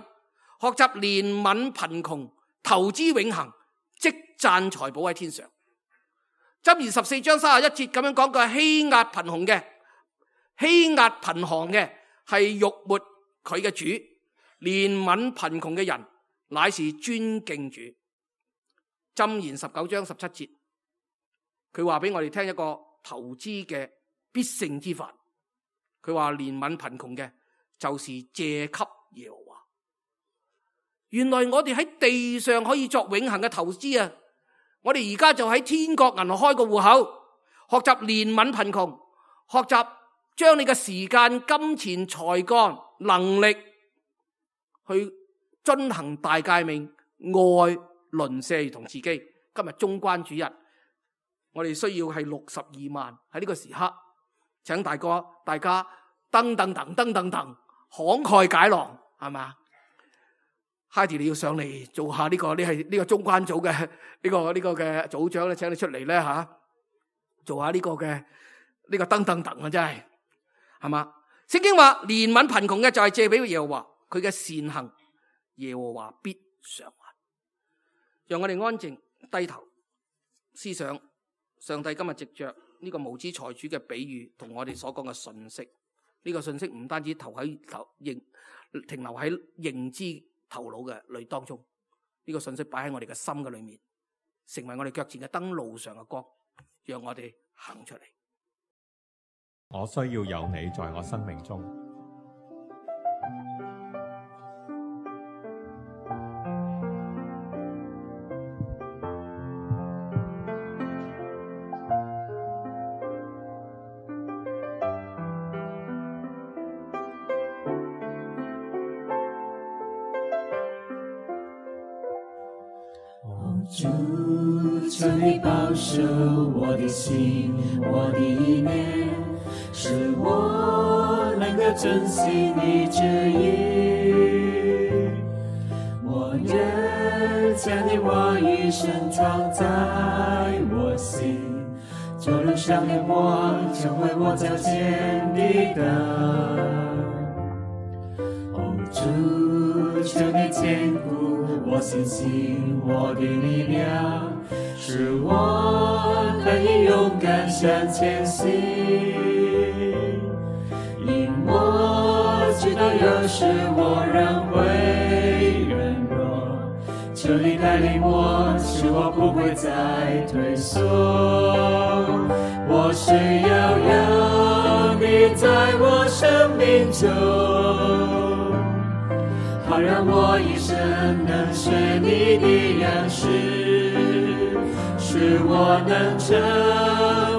學習憐憫貧窮，投資永恆，積攢財寶喺天上。箴言14章31節咁樣講，佢係欺壓貧窮嘅係辱沒佢嘅主，憐憫貧窮嘅人乃是尊敬主。箴言19章17節，佢話俾我哋聽一個投資嘅必勝之法。佢話憐憫貧窮嘅就是借給耶和華。原來我哋喺地上可以作永恆嘅投資啊！我哋而家就喺天國銀行開個戶口，學習憐憫貧窮，學習將你嘅時間、金錢、才幹、能力去遵行大誡命，愛鄰舍同自己。今日中關主日，我哋需要係62萬喺呢個時刻，請大家噔慷慨解囊，係嘛？Heidi 你要上嚟做下呢個，你係呢個中關組嘅呢個嘅組長咧，請你出嚟咧吓，做下呢個嘅呢個噔啊，真係嘛？聖經話憐憫貧窮嘅就係借俾耶和華，佢嘅善行耶和華必償還。讓我哋安靜低頭思想上帝今日藉着呢個無知財主嘅比喻同我哋所講嘅信息。呢個信息唔單止停留喺認知頭腦嘅裏當中，呢個信息擺喺我哋嘅心嘅裏面，成為我哋腳前嘅燈，路上嘅光，讓我哋行出嚟。我需要有你在我生命中。主，求你保守我的心，我的意念，使我能夠遵行你旨意。我願將你話語深藏在我心，就如上的光，成為我腳前的燈。主，求你堅固我信心，我的力量，使我可以勇敢向前行。因我知道有時我仍會軟弱，求你帶領我，使我不會再退縮。我需要有你在我生命中，好讓我一生能學你的樣式，使我能成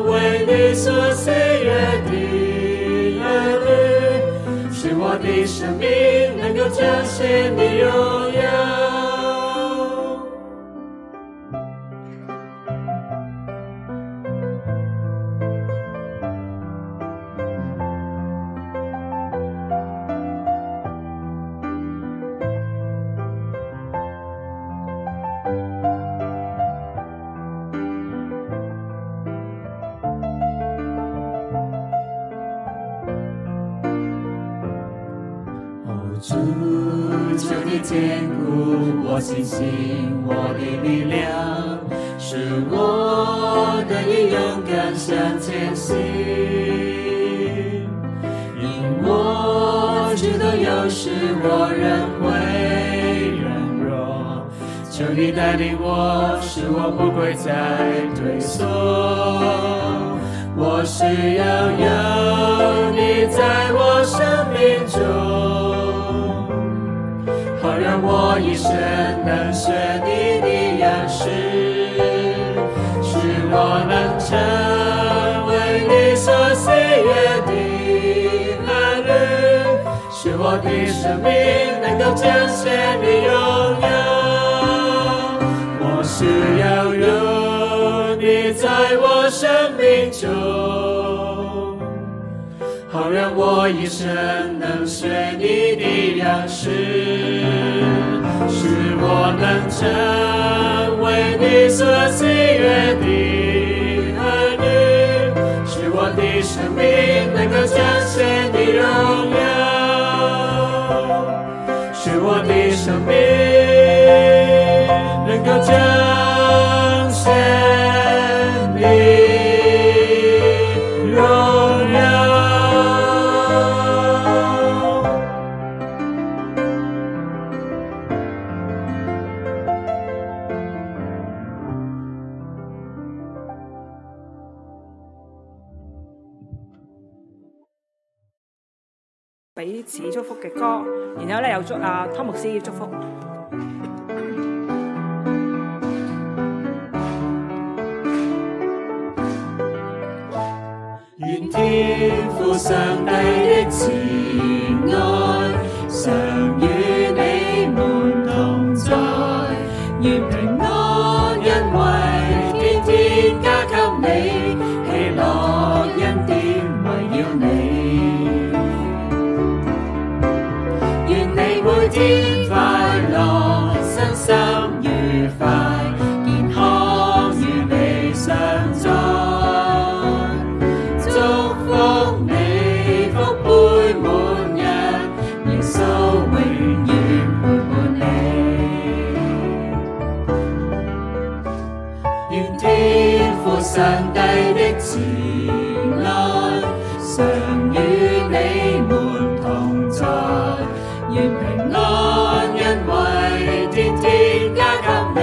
為你所喜悅的兒女，使我的生命能夠彰顯你榮耀。求你堅固我信心，我的力量，使我得以勇敢向前行。因我知道有時我仍會軟弱，求你帶領我，使我不會再退縮。我需要有你在我生命中，好讓我一生能學你的樣式，使我能成為你所喜悅的兒女，使我的生命能夠彰顯你榮耀。我需要有你在我生命中，好讓我一生能學你的樣式，使我能成為你所喜悅的兒女，使我的生命能夠彰顯你榮耀，使我的生命能夠彰顯你榮耀。彼此祝福嘅歌，然後咧又祝湯牧師祝福。願天父上帝的慈愛常與你們同在，願平安恩惠天天加給你，喜樂恩典圍繞你。每天快樂，身心愉快，健康與你常在。祝福你福杯滿溢，耶穌永遠陪伴你。願天父上帝的慈愛常與你們同在，願平安恩惠天天加給你，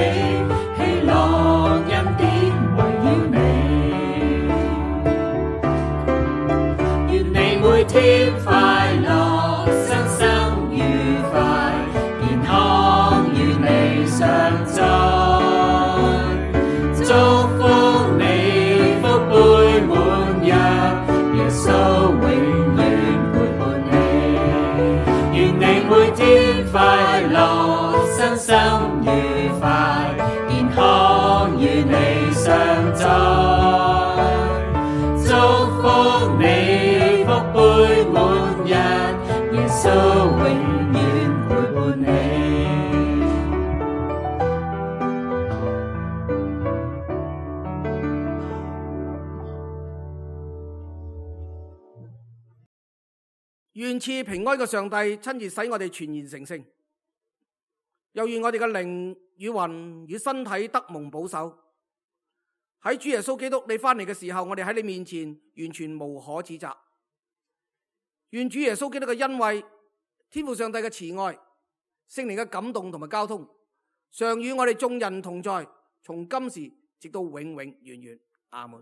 喜樂恩典圍繞你。願你每天快樂，身心愉快，健康與你常在。祝福你福杯滿溢，耶穌永遠陪伴你。願你每天快樂，身心愉快，健康與你常在。祝福你福杯滿溢，耶穌永遠陪伴你。願賜平安嘅上帝親自使我哋全然成聖，又願我哋嘅靈與魂與身體得蒙保守。喺主耶穌基督你翻嚟嘅時候，我哋喺你面前完全無可指責。願主耶穌基督嘅恩惠、天父上帝嘅慈愛、聖靈嘅感動同埋交通，常與我哋眾人同在，從今時直到永永遠遠。阿門。